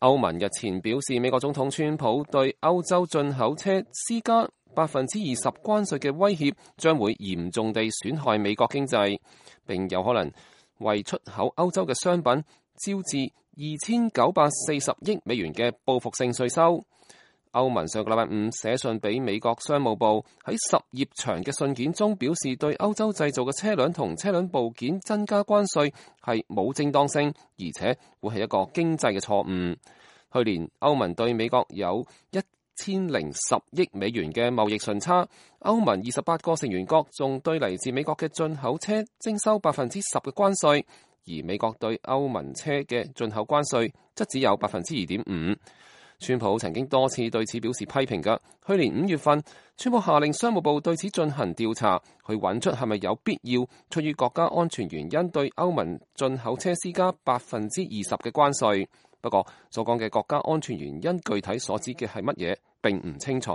歐盟日前表示，美國總統川普對歐洲進口車施加20%關稅嘅威脅，將會嚴重地損害美國經濟，並有可能為出口歐洲嘅商品招致2940億美元嘅報復性稅收。歐盟上個禮拜五寫信俾美國商務部，喺10頁長嘅信件中表示，對歐洲製造嘅車輛同車輛部件增加關稅係冇正當性，而且會係一個經濟嘅錯誤。去年歐盟對美國有1010億美元嘅貿易順差，歐盟28個成員國仲對嚟自美國嘅進口車徵收10%嘅關稅，而美國對歐盟車嘅進口關稅則只有2.5%。川普曾經多次對此表示批評㗎。去年5月份，川普下令商務部對此進行調查，去揾出係咪有必要出於國家安全原因對歐盟進口車施加20%嘅關稅。不過所講嘅國家安全原因具體所指嘅係乜嘢並唔清楚。